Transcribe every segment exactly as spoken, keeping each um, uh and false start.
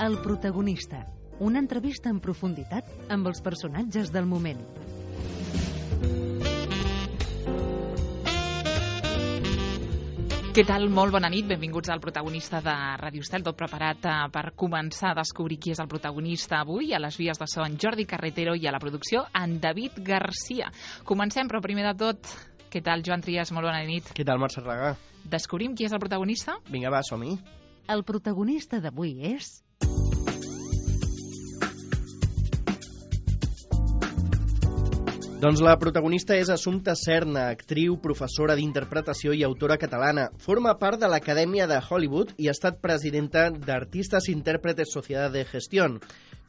El protagonista, una entrevista en profunditat amb els personatges del moment. Què tal? Molt bona nit, benvinguts al protagonista de Ràdio Estel, tot preparat eh, per començar a descobrir qui és el protagonista avui. A les vies de so en Jordi Carretero i a la producció en David Garcia. Comencem, però primer de tot, què tal, Joan Trias? Molt bona nit. Què tal, Mercè Regà? Descobrim qui és el protagonista? Vinga, va, som-hi. El protagonista d'avui és... Doncs la protagonista és Assumpta Serna, actriu, professora d'interpretació i autora catalana. Forma part de l'Acadèmia de Hollywood i ha estat presidenta d'Artistes Intérpretes Sociedad de Gestión.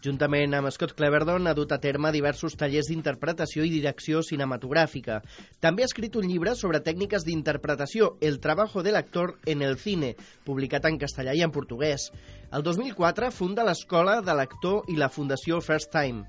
Juntament amb Scott Cleverdon ha dut a terme diversos tallers d'interpretació i direcció cinematogràfica. També ha escrit un llibre sobre tècniques d'interpretació, El trabajo del actor en el cine, publicat en castellà i en portuguès. El dos mil quatre funda l'Escola de l'Actor i la Fundació First Time.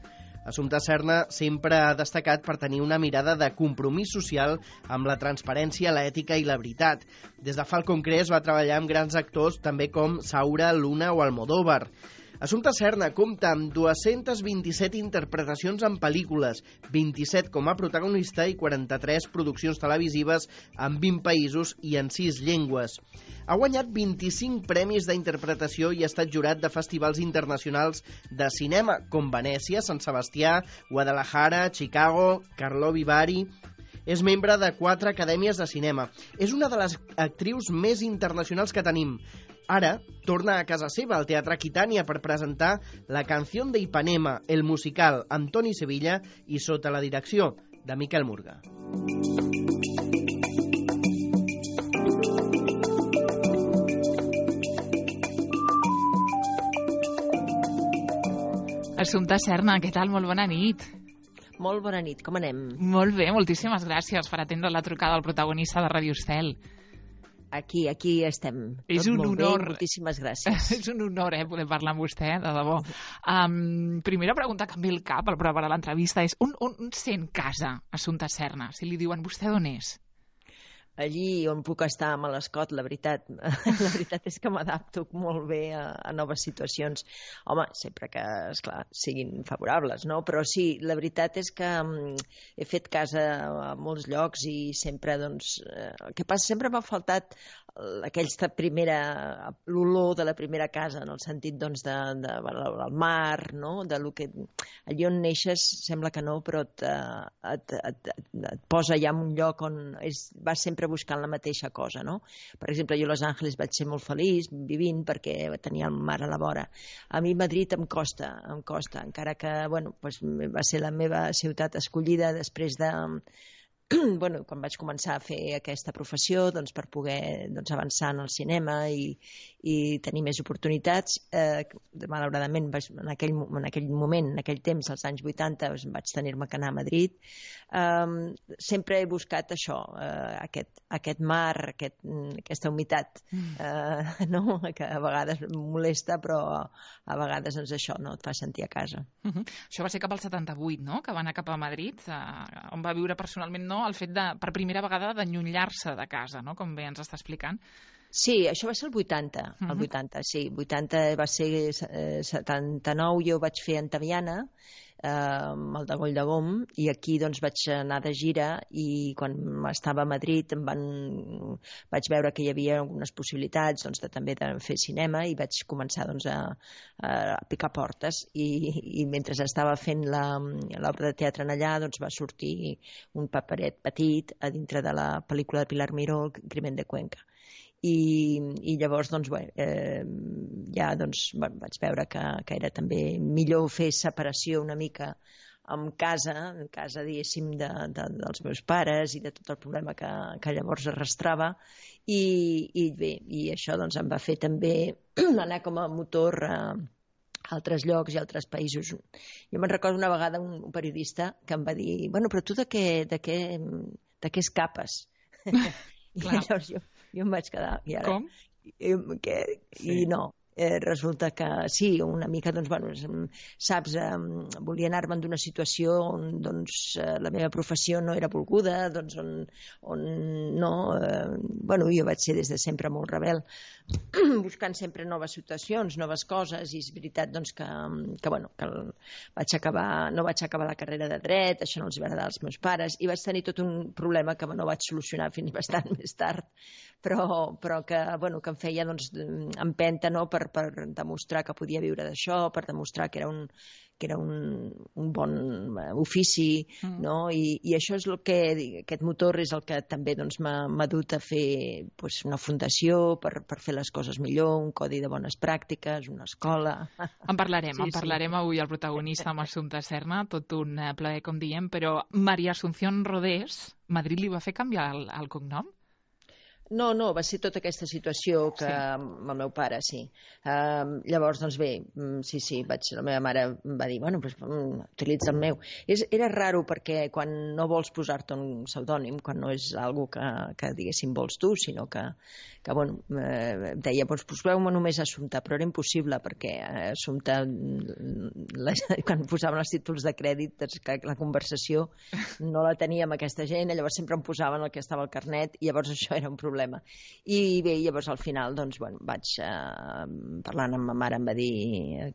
Assumpta Serna sempre ha destacat per tenir una mirada de compromís social amb la transparència, l'ètica i la veritat. Des de Falcon Crest va treballar amb grans actors també com Saura, Luna o Almodóvar. Assumpta Serna compta amb dues-centes vint-i-set interpretacions en pel·lícules, vint-i-set com a protagonista i quaranta-tres produccions televisives en vint països i en sis llengües. Ha guanyat vint-i-cinc premis d'interpretació i ha estat jurat de festivals internacionals de cinema, com Venècia, Sant Sebastià, Guadalajara, Chicago, Karlovy Vary. És membre de quatre acadèmies de cinema. És una de les actrius més internacionals que tenim. Ara torna a casa seva, al Teatre Aquitània, per presentar La canción de Ipanema, el musical, amb Toni Sevilla i sota la direcció de Miquel Murga. Assumpta Serna, què tal? Molt bona nit. Molt bona nit, com anem? Molt bé, moltíssimes gràcies per atendre la trucada del protagonista de Ràdio Estel. Aquí, aquí estem. És Tot un molt honor. Bé, moltíssimes gràcies. És un honor, eh, poder parlar amb vostè, de debò. Um, primera pregunta que em ve al cap al preparar l'entrevista és on, on sent casa Assumpta Serna? Si li diuen vostè, d'on és? Allí on puc estar amb l'Escot, la veritat. La veritat és que m'adapto molt bé a, a noves situacions. Home, sempre que, esclar, siguin favorables, no? Però sí, la veritat és que um, he fet casa a molts llocs i sempre, doncs... Eh, el que passa, sempre m'ha faltat aquesta primera... l'olor de la primera casa, en el sentit, doncs, de, de, del mar, no? De lo que... Allí on neixes sembla que no, però et, et, et, et, et posa ja en un lloc on és, vas sempre buscant la mateixa cosa, no? Per exemple, jo a Los Angeles vaig ser molt feliç vivint perquè tenia el mar a la vora. A mi Madrid em costa, em costa, encara que, bueno, doncs va ser la meva ciutat escollida després de... bueno, quan vaig començar a fer aquesta professió, doncs, per poder doncs, avançar en el cinema i, i tenir més oportunitats, eh, malauradament en aquell, en aquell moment, en aquell temps, als anys vuitanta, doncs, vaig tenir-me que anar a Madrid. Um, sempre he buscat això, uh, aquest, aquest mar, aquest, aquesta humitat, uh, no? Que a vegades molesta, però a vegades doncs, això no? Et fa sentir a casa. Uh -huh. Això va ser cap al setanta-vuit, no?, que va anar cap a Madrid, uh, on va viure personalment, no?, el fet de, per primera vegada, d'allunyar-se de casa, no?, com bé ens està explicant. Sí, això va ser el vuitanta, el Uh-huh. vuitanta, sí. vuitanta va ser eh, setanta-nou, jo vaig fer Antaviana, eh, amb el de Goll de Gom, i aquí doncs vaig anar de gira i quan estava a Madrid em van... vaig veure que hi havia algunes possibilitats doncs, de, també de fer cinema i vaig començar doncs, a, a picar portes i, i mentre estava fent l'obra de teatre en allà doncs, va sortir un paperet petit a dintre de la pel·lícula de Pilar Miró, Crimen de Cuenca. I, i llavors doncs, bé, eh, ja doncs, bueno, vaig veure que, que era també millor fer separació una mica en casa, en casa diguéssim de, de, dels meus pares i de tot el problema que, que llavors arrastrava i, i bé, i això doncs, em va fer també anar com a motor a altres llocs i altres països. Jo me'n recordo una vegada un, un periodista que em va dir, bueno, però tu de què, de què, de què escapes? I llavors jo, jo em vaig quedar. I ara, Com? I, que, Sí. i no, eh, resulta que sí, una mica, doncs, bueno, saps, eh, volia anar-me'n d'una situació on, doncs, eh, la meva professió no era volguda, doncs, on, on no... Eh, bueno, jo vaig ser des de sempre molt rebel, buscant sempre noves situacions, noves coses, i és veritat, doncs, que, que, bueno, que vaig acabar, no vaig acabar la carrera de dret, això no els va agradar als meus pares, i vaig tenir tot un problema que no vaig solucionar fins bastant més tard, però, però que, bueno, que em feia, doncs, empenta, no?, per, per demostrar que podia viure d'això, per demostrar que era un, que era un, un bon ofici, mm. no? I, i això és el que, aquest motor és el que també, doncs, m'ha dut a fer, doncs, una fundació per, per fer les coses millor, un codi de bones pràctiques, una escola... En parlarem, sí, en parlarem sí. avui al protagonista amb Assumpta Serna, tot un plaer, com diem, però Maria Asunción Rodés, Madrid li va fer canviar el, el cognom? No, no, va ser tota aquesta situació que sí. amb el meu pare, sí. Uh, llavors, doncs bé, sí, sí, vaig, la meva mare em va dir, bueno, pues, utilitza el meu. És, era raro perquè quan no vols posar-te un pseudònim, quan no és algo que, que diguéssim, vols tu, sinó que, que bueno, eh, deia, doncs poseu-me només Assumpta, però era impossible perquè Assumpta, la, quan posàvem els títols de crèdit, doncs, que la conversació no la tenia amb aquesta gent, llavors sempre em posaven el que estava al carnet, i llavors això era un problema. I bé, llavors al final, doncs, bueno, vaig eh, parlant amb ma mare, em va dir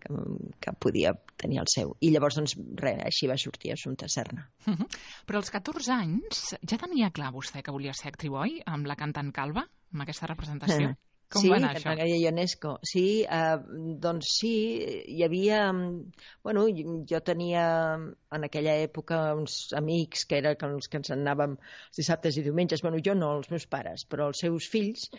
que, que podia tenir el seu. I llavors, doncs, res, així va sortir Assumpta Serna. Uh -huh. Però als catorze anys ja tenia clar vostè que volia ser actriu, oi? Amb la cantant calva, amb aquesta representació? Uh -huh. Com sí, va anar això? Maria Ionesco. Sí, eh, doncs sí, hi havia... Bueno, jo tenia en aquella època uns amics que eren els que ens anàvem els dissabtes i diumenges. Bueno, jo no, els meus pares, però els seus fills,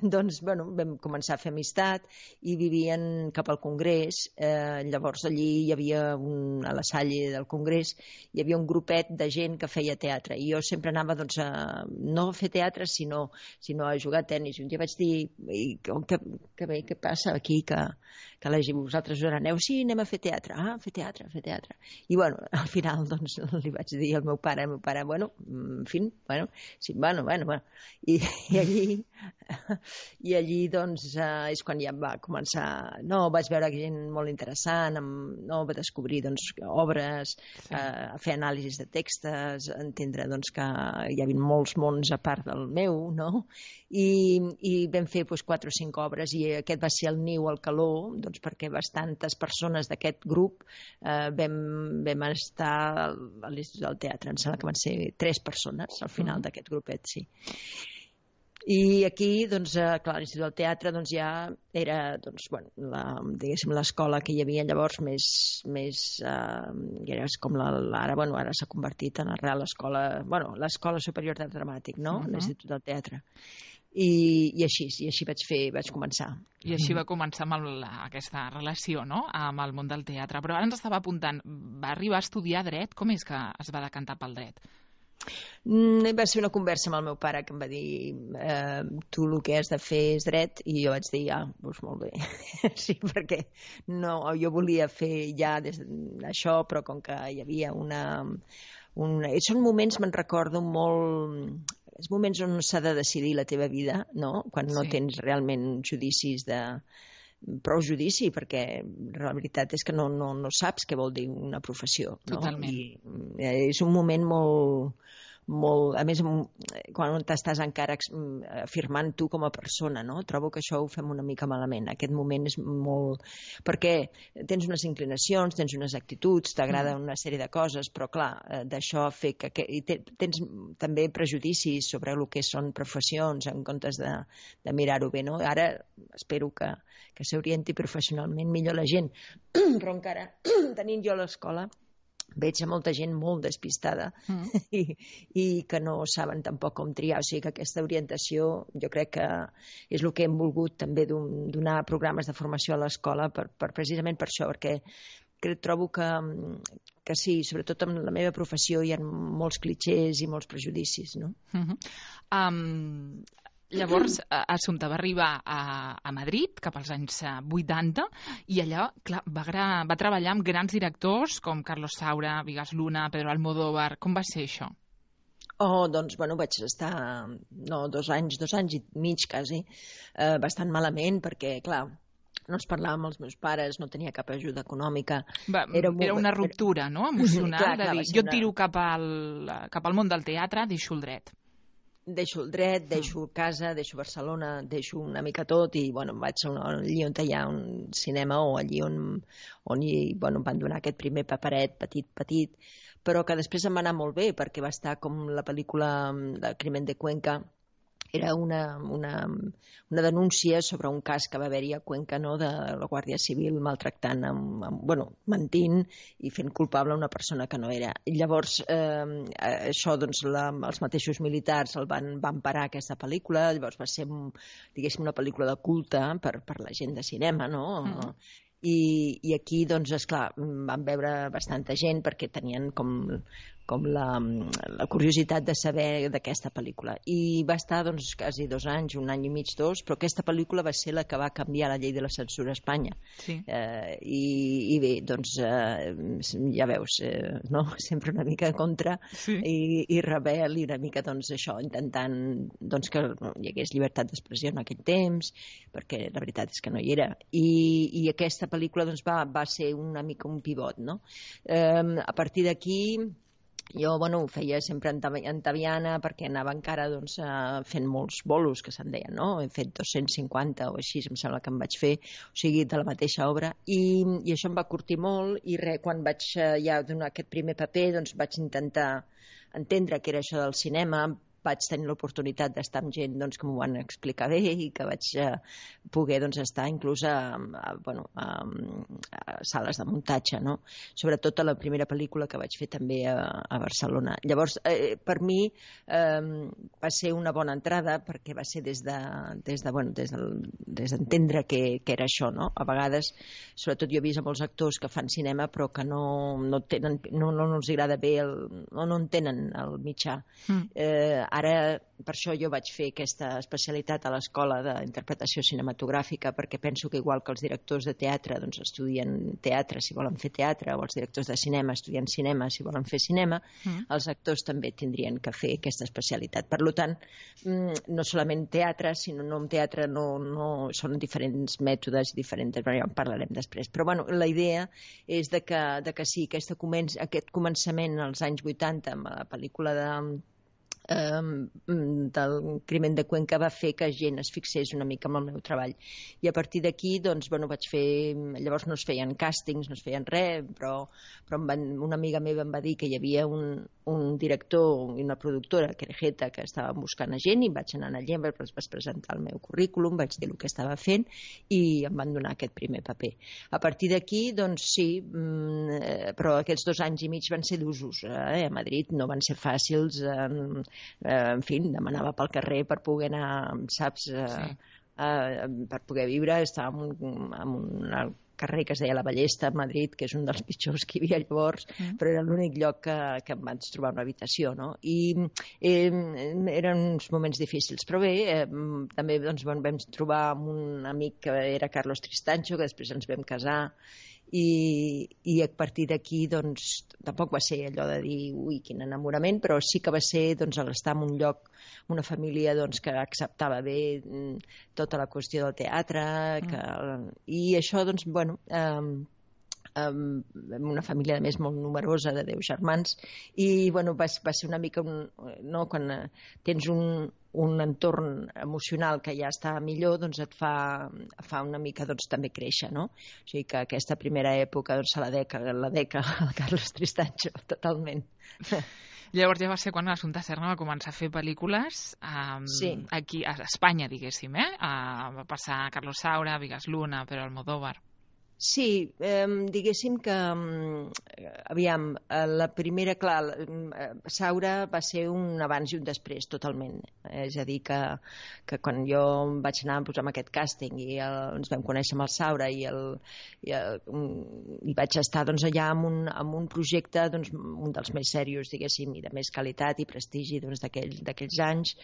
doncs, bueno, vam començar a fer amistat i vivien cap al Congrés. Eh, llavors allí hi havia, un, a la Salle del Congrés, hi havia un grupet de gent que feia teatre. I jo sempre anava, doncs, a, no a fer teatre, sinó, sinó a jugar a tennis. Un dia vaig dir... i que, que bé, què passa aquí que, que la gent, vosaltres us aneu, sí, anem a fer teatre, ah, fer teatre, fer teatre i bueno, al final doncs li vaig dir al meu pare, al meu pare, bueno en fi, bueno, sí, bueno, bueno, bueno. I, i allí i allí doncs eh, és quan ja va començar, no, vaig veure gent molt interessant, amb, no, va descobrir doncs obres, sí. eh, a fer anàlisis de textos, entendre doncs que hi havia molts mons a part del meu, no? I, i vam fer doncs, quatre o cinc obres i aquest va ser el niu al calor, doncs perquè bastantes persones d'aquest grup eh, vam, vam estar a l'Institut del Teatre, em sembla que van ser tres persones al final mm. d'aquest grupet, sí. I aquí, doncs, eh, clar, l'Institut del Teatre doncs, ja era, doncs, bueno, la, diguéssim, l'escola que hi havia llavors més, més eh, era com la, ara, bueno, ara s'ha convertit en la Real Escola, bueno, l'Escola Superior de Dramàtic, no?, uh -huh. l'Institut del Teatre. I, i així, i així vaig fer, vaig començar. I així va començar amb el, aquesta relació, no?, amb el món del teatre. Però ara ens estava apuntant, va arribar a estudiar dret? Com és que es va decantar pel dret? Mm, va ser una conversa amb el meu pare que em va dir eh, tu el que has de fer és dret, i jo vaig dir, ah, doncs molt bé sí, perquè no, jo volia fer ja des d'això, però com que hi havia una, una... són moments, me'n recordo molt, els moments on s'ha de decidir la teva vida, no? Quan no sí. tens realment judicis de prou judici, perquè la veritat és que no, no, no saps què vol dir una professió, no? Totalment. I és un moment molt, molt, a més, quan t'estàs encara afirmant tu com a persona, no? Trobo que això ho fem una mica malament. Aquest moment és molt... perquè tens unes inclinacions, tens unes actituds, t'agrada una sèrie de coses, però clar, d'això fer que... que i tens també prejudicis sobre el que són professions en comptes de, de mirar-ho bé, no? Ara espero que, que s'orienti professionalment millor la gent, però encara tenint jo a l'escola veig a molta gent molt despistada mm. i, i que no saben tampoc com triar, o sigui que aquesta orientació jo crec que és el que hem volgut també donar programes de formació a l'escola per, per, precisament per això, perquè que trobo que, que sí, sobretot en la meva professió hi ha molts clitxers i molts prejudicis, no? Mm-hmm. Um... Llavors, Assumpta va arribar a, a Madrid cap als anys vuitanta i allà, clar, va, gra, va treballar amb grans directors com Carlos Saura, Vigas Luna, Pedro Almodóvar. Com va ser això? Oh, doncs, bueno, vaig estar no, dos anys, dos anys i mig quasi, eh, bastant malament, perquè, clar, no es parlava amb els meus pares, no tenia cap ajuda econòmica. Va, era, molt... era una ruptura, no?, emocional, clar, clar, de dir, jo una... tiro cap al, cap al món del teatre, deixo el dret. Deixo el dret, deixo casa, deixo Barcelona, deixo una mica tot i, bueno, vaig allí on hi ha un cinema o allí on, on hi, bueno, van donar aquest primer paperet petit, petit, però que després em va anar molt bé perquè va estar com la pel·lícula de Crimen de Cuenca. Era una, una, una denúncia sobre un cas que va haver-hi a Cuenca, no?, de la Guàrdia Civil maltractant, amb, amb, bueno, mentint i fent culpable una persona que no era. I llavors, eh, això, doncs, la, els mateixos militars el van, van parar aquesta pel·lícula, llavors va ser, diguéssim, una pel·lícula de culte per, per la gent de cinema, no?, mm. I, i aquí, doncs, esclar, van veure bastanta gent perquè tenien com, com la, la curiositat de saber d'aquesta pel·lícula. I va estar, doncs, quasi dos anys, un any i mig, dos, però aquesta pel·lícula va ser la que va canviar la llei de la censura a Espanya. Sí. Eh, i, I bé, doncs, eh, ja veus, eh, no?, sempre una mica contra, sí. i, i rebel, i una mica, doncs, això, intentant, doncs, que hi hagués llibertat d'expressió en aquell temps, perquè la veritat és que no hi era. I, i aquesta pel·lícula, doncs, va, va ser una mica un pivot, no? Eh, a partir d'aquí, jo, bueno, ho feia sempre en Taviana perquè anava encara, doncs, fent molts bolos, que se'n deien, no? He fet dos-cents cinquanta o així, em sembla que em vaig fer, o sigui, de la mateixa obra, i, i això em va curtir molt, i res, quan vaig ja donar aquest primer paper, doncs vaig intentar entendre què era això del cinema, vaig tenir l'oportunitat d'estar amb gent, doncs, que m'ho van explicar bé i que vaig eh, poder, doncs, estar inclús a, a, bueno, a, a sales de muntatge, no? Sobretot a la primera pel·lícula que vaig fer també a, a Barcelona. Llavors, eh, per mi eh, va ser una bona entrada perquè va ser des de, des de, bueno, des del, des d'entendre què, què era això, no? A vegades, sobretot jo he vist a molts actors que fan cinema però que no, no, tenen, no, no, no els agrada bé, el, no, no entenen el mitjà. Mm. Eh, Ara, per això jo vaig fer aquesta especialitat a l'Escola d'Interpretació Cinematogràfica, perquè penso que igual que els directors de teatre doncs, estudien teatre si volen fer teatre, o els directors de cinema estudien cinema si volen fer cinema, mm. els actors també tindrien que fer aquesta especialitat. Per tant, no solament teatre, sinó no en teatre no, no, són diferents mètodes, diferents, ja en parlarem després. Però bueno, la idea és de que, de que sí, aquesta començ, aquest començament als anys vuitanta amb la pel·lícula de Um, del Crimen de Cuenca va fer que gent es fixés una mica en el meu treball, i a partir d'aquí doncs, bueno, vaig fer, llavors no es feien càstings, no es feien res, però, però em van, una amiga meva em va dir que hi havia un, un director i una productora, Querejeta, que estava buscant a gent, i vaig anar allà, vaig presentar el meu currículum, vaig dir el que estava fent i em van donar aquest primer paper. A partir d'aquí, doncs sí, però aquests dos anys i mig van ser d'usos, eh? A Madrid no van ser fàcils, eh? Eh, en fi, demanava pel carrer per poder anar, saps, eh, sí. eh, per poder viure. Estava en un, en un carrer que es deia La Ballesta, a Madrid, que és un dels pitjors que hi havia llavors, mm. però era l'únic lloc que, que em vaig trobar una habitació, no? I eh, eren uns moments difícils, però bé, eh, també doncs, vam trobar amb un amic que era Carlos Tristancho, que després ens vam casar, i, i a partir d'aquí doncs, tampoc va ser allò de dir ui, quin enamorament, però sí que va ser doncs, estar en un lloc, una família doncs, que acceptava bé tota la qüestió del teatre, que, i això doncs, bueno, eh, amb una família a més molt numerosa de deu germans, i bueno, va, va ser una mica un, no, quan tens un, un entorn emocional que ja està millor, doncs et fa, fa una mica doncs, també créixer, no? O sigui que aquesta primera època doncs, la deca, la deca el Carlos Tristancho, totalment. Llavors ja va ser quan l'Assumpta Serna va començar a fer pel·lícules um, sí. aquí a Espanya, diguéssim, eh? Uh, va passar a Carlos Saura, Vigas Luna, però Almodóvar. Sí, eh, diguéssim que, aviam, la primera, clar, Saura va ser un abans i un després, totalment. És a dir, que, que quan jo vaig anar a posar aquest càsting i el, ens vam conèixer amb el Saura i, el, i, el, i vaig estar doncs, allà amb un, amb un projecte, doncs, un dels més serios, diguéssim, i de més qualitat i prestigi doncs, d'aquells anys,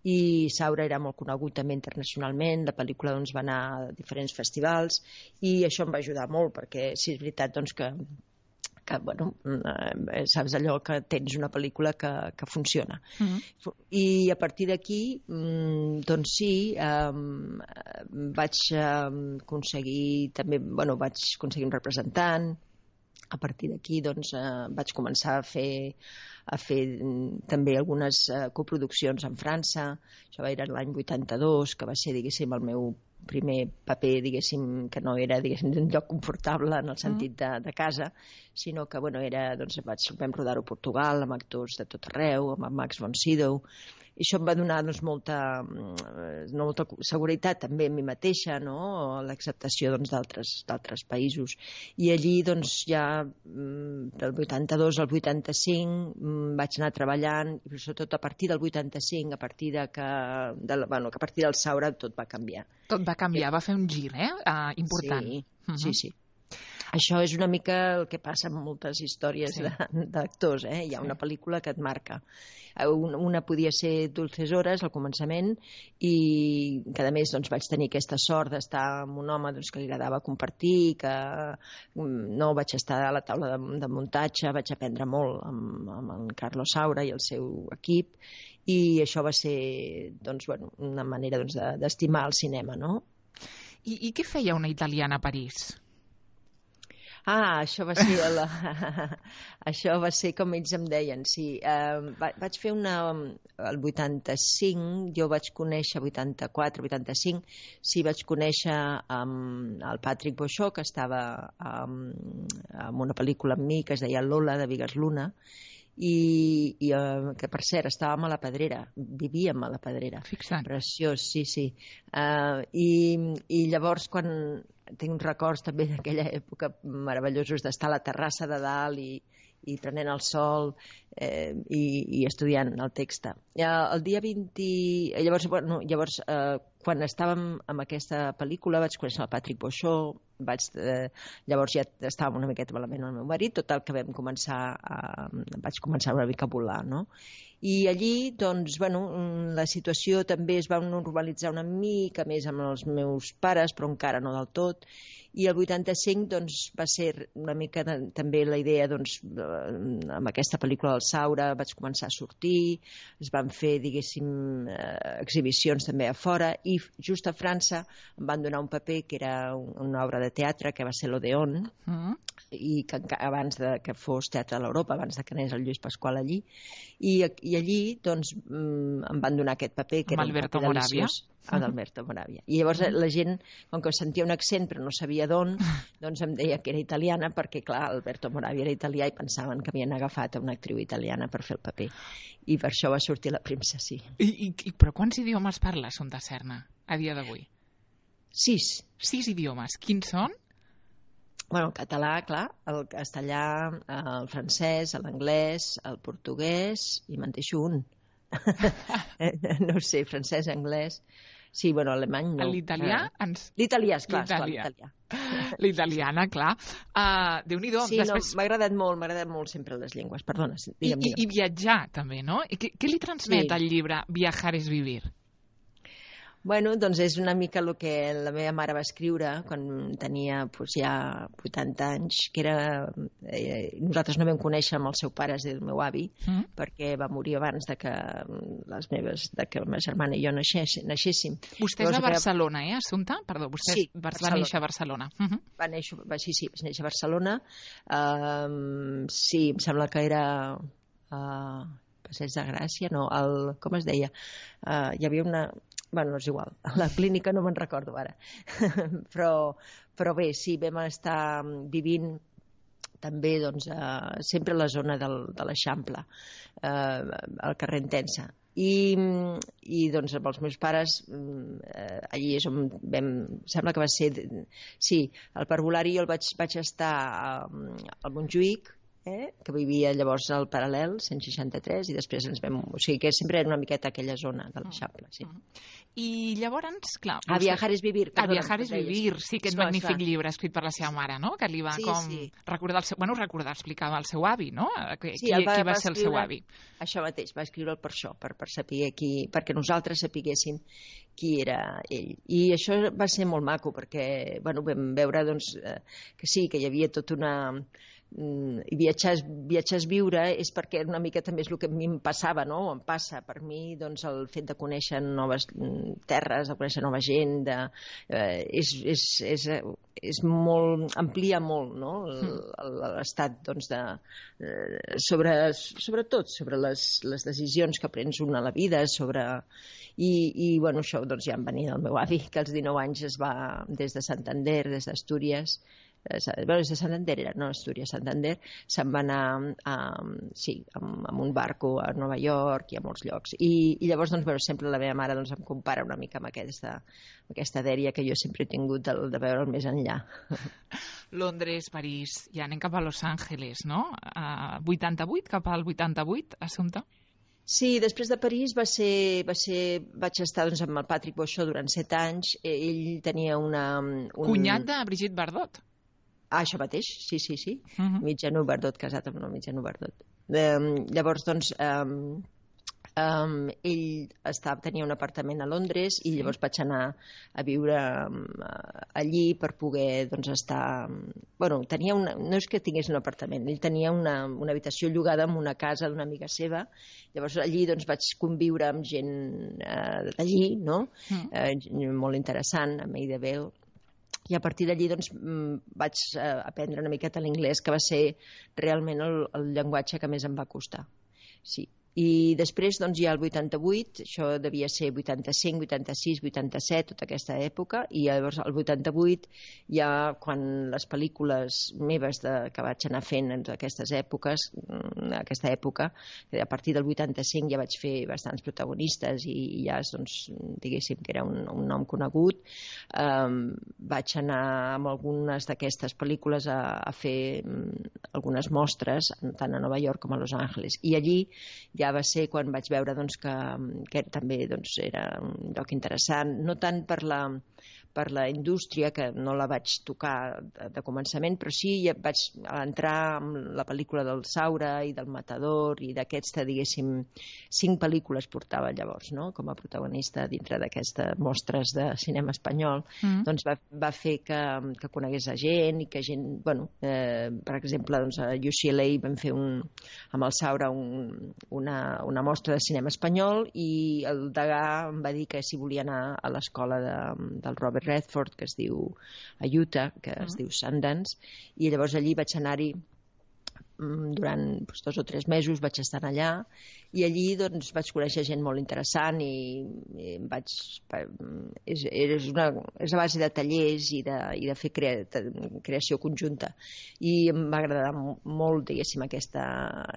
i Saura era molt conegut també internacionalment, la pel·lícula doncs, va anar a diferents festivals, i això em va ajudar molt, perquè sí, és veritat doncs, que que, bueno, eh, saps allò que tens una pel·lícula que, que funciona. Mm-hmm. I a partir d'aquí, doncs sí, eh, vaig aconseguir també, bueno, vaig aconseguir un representant. A partir d'aquí, doncs, eh, vaig començar a fer a fer també algunes eh, coproduccions en França. Això va ser l'any vuitanta-dos, que va ser, diguéssim, el meu primer paper, diguéssim, que no era, diguéssim, un lloc confortable en el sentit de, de casa, sinó que, bueno, era, doncs, vaig, vam rodar-ho a Portugal, amb actors de tot arreu, amb Max von Sydow, i això em va donar, doncs, molta, molta seguretat també a mi mateixa, no?, l'acceptació, doncs, d'altres d'altres països. I allí, doncs, ja del vuitanta-dos al vuitanta-cinc vaig anar treballant, i sobretot a partir del vuitanta-cinc, a partir de que, de, bueno, que a partir del Saura tot va canviar. Tot va canviar, va fer un gir, eh? Uh, important. Sí, uh-huh. sí, sí. Això és una mica el que passa amb moltes històries sí. d'actors, eh? Hi ha una pel·lícula que et marca. Una, una podia ser Dulces Hores al començament i que a més doncs, vaig tenir aquesta sort d'estar amb un home doncs, que li agradava compartir, que no vaig estar a la taula de, de muntatge, vaig aprendre molt amb, amb en Carlos Saura i el seu equip, i això va ser doncs, bueno, una manera doncs, d'estimar el cinema, no? I, I què feia una italiana a París? Ah, això va ser la... això va ser com ells em deien, sí. Uh, vaig fer una... El vuitanta-cinc, jo vaig conèixer, vuitanta-quatre, vuitanta-cinc, sí, vaig conèixer um, el Patrick Boixó, que estava um, en una pel·lícula amb mi que es deia Lola, de Vigas Luna, i, i uh, que per cert estàvem a la Pedrera, vivíem a la Pedrera. Fixa't. Preciós, sí, sí. Uh, i, i llavors quan tinc uns records també d'aquella època meravellosos d'estar a la terrassa de dalt i, i prenent el sol eh, i, i estudiant el text. Eh, el dia vint... Llavors, bueno, llavors eh, quan estàvem amb aquesta pel·lícula vaig conèixer el Patrick Boixó, vaig, eh, llavors ja estàvem una miqueta malament amb el meu marit, tot el que vam començar a, vaig començar una mica a volar, no? I allí, doncs, bueno, la situació també es va normalitzar una mica més amb els meus pares, però encara no del tot. I el vuitanta-cinc doncs, va ser una mica de, també la idea, doncs, amb aquesta pel·lícula del Saura vaig començar a sortir, es van fer, diguéssim, eh, exhibicions també a fora, i just a França em van donar un paper que era una obra de teatre, que va ser l'Odeon, mm. i que abans de que fos Teatre a l'Europa, abans de que anés el Lluís Pasqual allí, i, i allí doncs, em van donar aquest paper, que amb era un Alberto paper Moravia. deliciós. Ah, d'Alberto Moravia. I llavors la gent, com que sentia un accent però no sabia d'on, doncs em deia que era italiana, perquè clar, Alberto Moravia era italià i pensaven que havien agafat una actriu italiana per fer el paper. I per això va sortir La princesa. I, i, però quants idiomes parla Assumpta Serna a dia d'avui? Sis. Sis idiomes. Quins són? Bueno, el català, clar, el castellà, el francès, l'anglès, el portuguès, i me'n deixo un. No sé, francès, anglès... Sí, bueno, alemany no. L'italià? Ens... L'italià, esclar, l'italià. l'italià. L'italiana, clar. Uh, Déu-n'hi-do. Sí, Després... no, m'ha agradat molt, m'ha agradat molt sempre les llengües, perdona. Digue'm, I, i, I viatjar, també, no? I què, què li transmet sí. el llibre Viajar es vivir? Bueno, doncs és una mica el que la meva mare va escriure quan tenia doncs, ja vuitanta anys, que era... Eh, nosaltres no vam conèixer amb el seu pare, és el meu avi, mm. perquè va morir abans de que les meves, de que la meva germana i jo naixéssim. Vostè és de Barcelona, eh, Assumpta? Perdó, vostè sí, va Barcelona. néixer a Barcelona. Uh -huh. Va néixer, va, sí, sí, va néixer a Barcelona. Uh, sí, em sembla que era... Uh, Passeig de Gràcia, no, el, com es deia? Uh, hi havia una... Bueno, no és igual, a la clínica no me'n recordo ara. però, però bé, sí, vam estar vivint també doncs, eh, sempre a la zona del, de l'Eixample, eh, al carrer Entença. I, i doncs amb els meus pares eh, allí és on vam, sembla que va ser sí, al parvulari jo el vaig, vaig estar al Montjuïc, eh, que vivia llavors al Paral·lel cent seixanta-tres, i després ens vam... O sigui que sempre era una miqueta aquella zona de l'Eixample, sí. I llavors, clar... A Viajar es vivir. A Viajar es vivir, sí, aquest esclar, magnífic esclar. llibre escrit per la seva mare, no? Que li va sí, com sí. recordar, el seu... bueno, recordar, explicava el seu avi, no? Qui, sí, qui, va, qui va, va ser escriure, el seu avi? Això mateix, va escriure'l per això, per, per saber qui... perquè nosaltres sapiguéssim qui era ell. I això va ser molt maco, perquè, bueno, vam veure, doncs, eh, que sí, que hi havia tota una... i viatjar, viatjar és viure és perquè una mica també és el que a mi em passava, no? Em passa per mi doncs, el fet de conèixer noves terres, de conèixer nova gent, de, eh, és, és, és, és molt, amplia molt, no? L'estat doncs, de, sobre, sobretot sobre les, les decisions que prens una a la vida, sobre... I, i bueno, això doncs, ja em venia del meu avi, que als dinou anys es va des de Santander, des d'Astúries, bueno, des de Santander era, no Astúries, Santander, se'n va anar a, sí, amb, amb un barco a Nova York i a molts llocs. I, i llavors, doncs, bueno, sempre la meva mare doncs, em compara una mica amb aquesta, amb aquesta dèria que jo sempre he tingut de, de veure el més enllà. Londres, París, ja anem cap a Los Angeles, no? Uh, vuitanta-vuit, cap al vuitanta-vuit, Assumpta? Sí, després de París va ser, va ser, vaig estar doncs, amb el Patrick Beauchamp durant set anys. Ell tenia una... Un... Cunyat de Brigitte Bardot. Ah, això mateix, sí, sí, sí. Uh-huh. Mitjano Bardot, casat amb una Mitjano Bardot. Um, llavors, doncs, um, um, ell estava, tenia un apartament a Londres i llavors vaig anar a viure um, allí per poder doncs, estar... Bueno, tenia una... no és que tingués un apartament, ell tenia una, una habitació llogada en una casa d'una amiga seva. Llavors allí doncs, vaig conviure amb gent eh, d'allí, no? Uh-huh. Eh, molt interessant, amb Maida Bell. I a partir d'allí doncs, vaig aprendre una miqueta l'inglès, que va ser realment el, el llenguatge que més em va costar. Sí. I després, doncs, ja el vuitanta-vuit, això devia ser vuitanta-cinc, vuitanta-sis, vuitanta-set, tota aquesta època, i llavors el vuitanta-vuit, ja quan les pel·lícules meves de, que vaig anar fent en aquestes èpoques, aquesta època, a partir del vuitanta-cinc ja vaig fer bastants protagonistes i, i ja, doncs, diguéssim que era un, un nom conegut, um, vaig anar amb algunes d'aquestes pel·lícules a, a fer um, algunes mostres, tant a Nova York com a Los Angeles, i allí ja va ser quan vaig veure doncs, que, que també doncs, era un lloc interessant, no tant per la, per la indústria, que no la vaig tocar de, de començament, però sí ja vaig entrar amb la pel·lícula del Saura i del Matador i d'aquesta, diguéssim, cinc pel·lícules portava llavors, no? Com a protagonista dintre d'aquestes mostres de cinema espanyol, mm. doncs va, va fer que, que conegués a gent i que gent, bueno, eh, per exemple, doncs a U C L A vam fer un, amb el Saura un, una, una mostra de cinema espanyol i el degà em va dir que si volia anar a l'escola de, del Robert Redford, que es diu a Utah, que es uh-huh. diu Sundance, i llavors allí vaig anar-hi durant doncs, dos o tres mesos, vaig estar allà i allí doncs, vaig conèixer gent molt interessant i, i vaig, és, és, una, és a base de tallers i de, i de fer crea, creació conjunta i em va agradar molt, diguéssim, aquesta,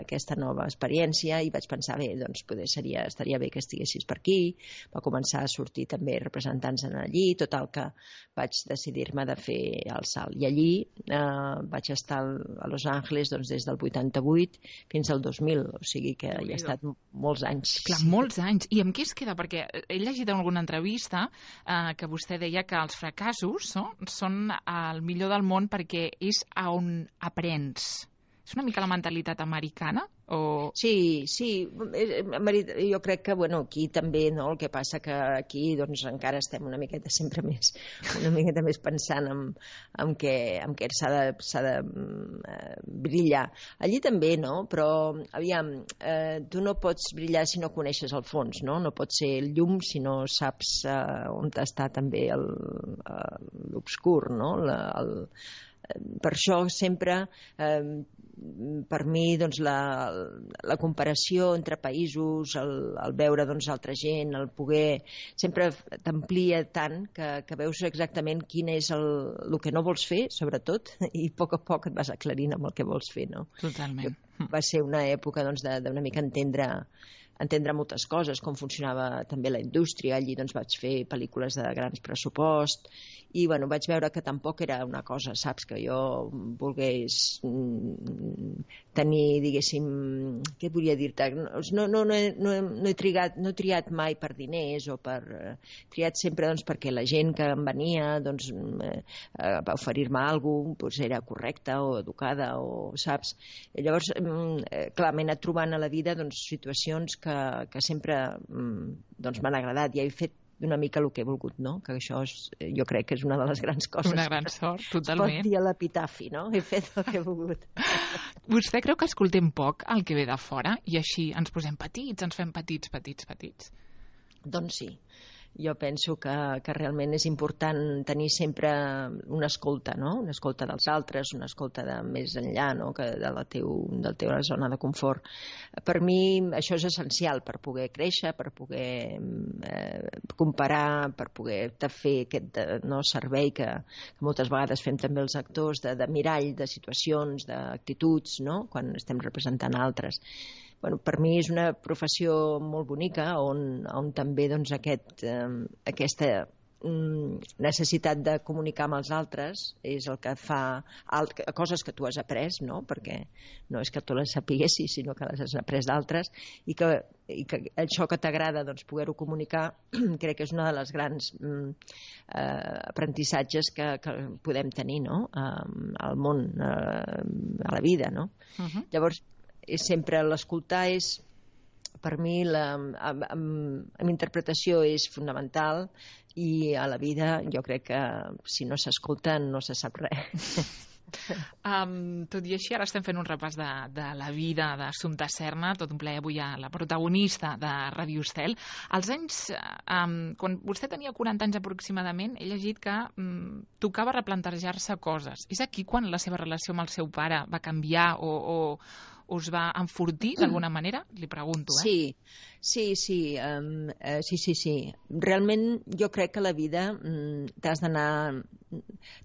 aquesta nova experiència i vaig pensar, bé, doncs poder seria, estaria bé que estiguessis per aquí. Va començar a sortir també representants en allí, total que vaig decidir-me de fer el salt i allí eh, vaig estar a Los Angeles doncs, des del vuitanta-vuit fins al dos mil, o sigui que hi ha estat molts anys. Clar, molts anys. I amb què es queda? Perquè he llegit en alguna entrevista eh, que vostè deia que els fracassos no? són el millor del món perquè és a on aprens. És una mica la mentalitat americana? O... Sí, sí, jo crec que bueno, aquí també, no? El que passa que aquí doncs, encara estem una miqueta sempre més, una miqueta més pensant en, en què, en què s'ha de, s'ha de uh, brillar. Allí també, no? Però, aviam, uh, tu no pots brillar si no coneixes el fons, no? No pots ser el llum si no saps uh, on està també el, uh, l'obscur, no? La, el, per això sempre... Uh, per mi doncs, la, la comparació entre països, el, el veure doncs, altra gent, el poder, sempre t'amplia tant que, que veus exactament quin és el, el que no vols fer, sobretot, i a poc a poc et vas aclarint amb el que vols fer. No? Totalment. Va ser una època doncs, d'una mica entendre entendre moltes coses, com funcionava també la indústria. Allí doncs, vaig fer pel·lícules de grans pressupost i bueno, vaig veure que tampoc era una cosa, saps, que jo volgués mm, tenir, diguéssim, què volia dir-te? No, no, no, he, no, he, no, he trigat, no he triat mai per diners o per... He triat sempre doncs, perquè la gent que em venia doncs, eh, va oferir-me alguna cosa, doncs, era correcta o educada, o saps? I llavors, eh, clar, m'he anat trobant a la vida doncs, situacions que que, que sempre doncs, m'han agradat. Ja he fet d'una mica el que he volgut, no? Que això és, jo crec que és una de les grans coses. Una gran sort, totalment. Es pot dir a l'epitafi, no? He fet el que he volgut. Vostè creu que escoltem poc el que ve de fora i així ens posem petits, ens fem petits, petits, petits? Doncs sí. Jo penso que, que realment és important tenir sempre una escolta, no? Una escolta dels altres, una escolta de més enllà, no? Que de la teu, de la teva zona de confort. Per mi això és essencial per poder créixer, per poder eh, comparar, per poder fer aquest no, servei que, que moltes vegades fem també els actors de, de mirall, de situacions, d'actituds, no? Quan estem representant altres. Bueno, per mi és una professió molt bonica on, on també doncs, aquest, eh, aquesta mm, necessitat de comunicar amb els altres és el que fa alt, coses que tu has après, no? Perquè no és que tu les sapiguessis, sinó que les has après d'altres i que, i que això que t'agrada doncs, poder-ho comunicar crec que és una de les grans mm, eh, aprenentissatges que, que podem tenir, no? eh, al món, eh, a la vida, no? Uh-huh. Llavors és sempre l'escoltar és, per mi, la, amb, amb, amb interpretació és fonamental i a la vida jo crec que si no s'escolta no se sap res. Um, tot i així, ara estem fent un repàs de, de la vida d'Assumpta Serna, tot un plaer avui a la protagonista de Ràdio Estel. Als anys, um, quan vostè tenia quaranta anys aproximadament, he llegit que um, tocava replantejar-se coses. És aquí quan la seva relació amb el seu pare va canviar o, o us va enfortir d'alguna manera? Li pregunto, eh? Sí, sí, sí, um, uh, sí, sí, sí. Realment jo crec que la vida um, t'has d'anar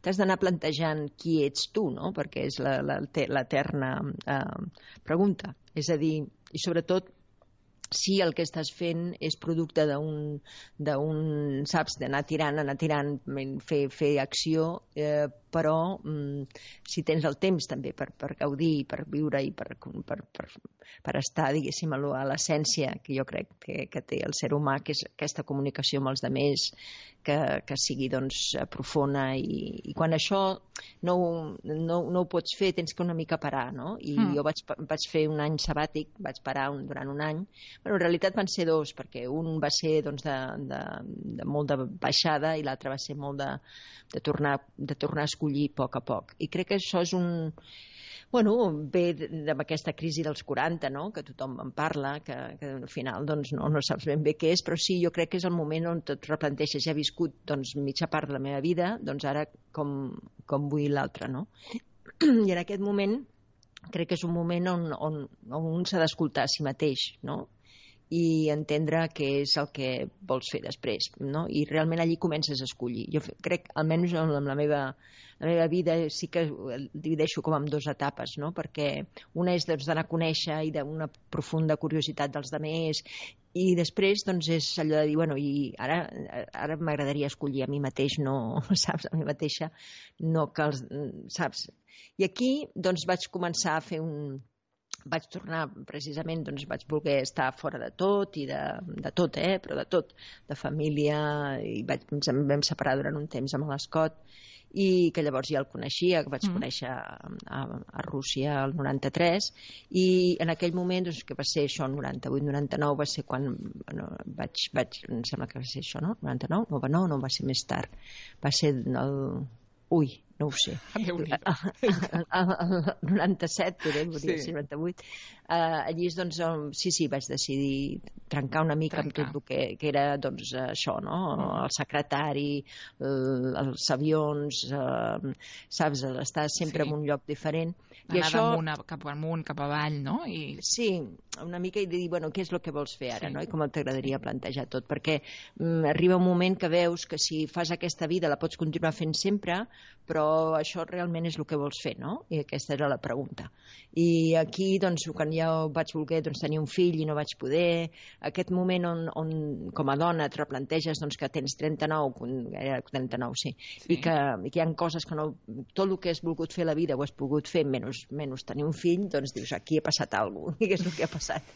t'has d'anar plantejant qui ets tu, no? Perquè és la, la, l'eterna uh, pregunta. És a dir, i sobretot si el que estàs fent és producte d'un, d'un saps, d'anar tirant, anar tirant, fer, fer acció, eh, però mm, si tens el temps també per, per gaudir, per viure i per, per, per, per estar, diguéssim, a l'essència que jo crec que, que té el ser humà, que és aquesta comunicació amb els altres, que, que sigui doncs, profunda i, i quan això no, no, no ho pots fer tens que una mica parar, no? I mm. jo vaig, vaig fer un any sabàtic, vaig parar un, durant un any. Bueno, en realitat van ser dos, perquè un va ser doncs, de, de, de molt de baixada i l'altre va ser molt de, de, tornar, de tornar a escollir a poc a poc. I crec que això és un... Bueno, ve d'aquesta crisi dels quaranta, no? Que tothom en parla, que, que al final doncs, no, no saps ben bé què és, però sí, jo crec que és el moment on et replanteixes. Ja he viscut doncs, mitja part de la meva vida, doncs ara com, com vull l'altra, no? I en aquest moment crec que és un moment on, on, on un s'ha d'escoltar a si mateix, no? I entendre què és el que vols fer després, no? I realment allí comences a escollir. Jo crec, almenys amb la meva, la meva vida sí que divideixo com en dues etapes, no? Perquè una és doncs, d'anar a conèixer i d'una profunda curiositat dels altres i després doncs, és allò de dir, bueno, i ara, ara m'agradaria escollir a mi mateix, no, saps, a mi mateixa, no que els, saps? I aquí doncs vaig començar a fer un... vaig tornar, precisament, doncs vaig voler estar fora de tot, i de, de tot, eh, però de tot, de família, i vaig, ens en vam separar durant un temps amb l'Escot, i que llavors ja el coneixia, que vaig mm. conèixer a, a, a Rússia el noranta-tres, i en aquell moment, doncs, que va ser això, el noranta-vuit noranta-nou, va ser quan bueno, vaig, vaig, em sembla que va ser això, no? noranta-nou? No, no, no, va ser més tard. Va ser el... Ui, no ho sé. El noranta-set, podem dir, sí. noranta-vuit. Uh, allí, doncs, sí, sí, vaig decidir trencar una mica trencar. amb tot el que, que era, doncs, això, no? El secretari, el, els avions, uh, saps, estar sempre sí. en un lloc diferent. Anar I això... damunt, cap amunt, cap avall, no? I... Sí, una mica i dir, bueno, què és el que vols fer ara, sí. no? I com t'agradaria plantejar tot, perquè mm, arriba un moment que veus que si fas aquesta vida la pots continuar fent sempre, però això realment és el que vols fer, no? I aquesta era la pregunta. I aquí, doncs, quan ja vaig voler doncs, tenir un fill i no vaig poder, aquest moment on, on com a dona et replanteges doncs, que tens trenta-nou, era trenta-nou, sí, sí. I que, i que hi ha coses que no... Tot el que has volgut fer a la vida ho has pogut fer, menys, menys tenir un fill, doncs dius, aquí ha passat alguna cosa, i què és el que ha passat?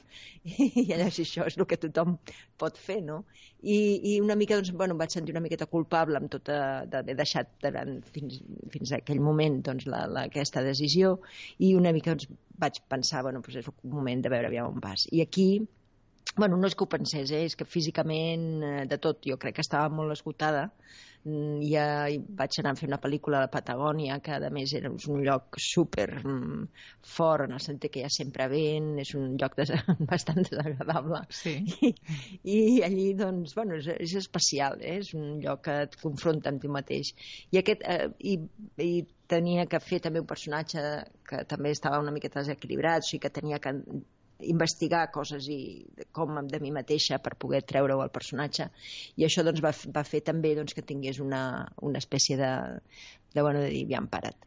I llavors això és el que tothom pot fer, no? I, i una mica, doncs, bueno, em vaig sentir una miqueta culpable amb tot d'haver deixat durant, fins, fins a aquell moment doncs, la, la, aquesta decisió, i una mica doncs, vaig pensar, bueno, doncs és un moment de veure aviam on vas. I aquí Bueno, no és que ho pensés, eh? És que físicament, eh, de tot, jo crec que estava molt esgotada. Mm, Ja hi vaig anar a fer una pel·lícula a la Patagònia, que a més era un lloc super mm, fort, en el sentit que hi ha sempre vent, és un lloc des bastant desagradable. Sí. I, I allí, doncs, bueno, és, és especial, eh? És un lloc que et confronta amb tu mateix. I, aquest, eh, i, i tenia que fer també un personatge que també estava una miqueta desequilibrat, o sigui que tenia que investigar coses i com de mi mateixa per poder treure-ho al personatge, i això doncs, va, va fer també doncs, que tingués una, una espècie de, de, bueno, de dir, ja em parat.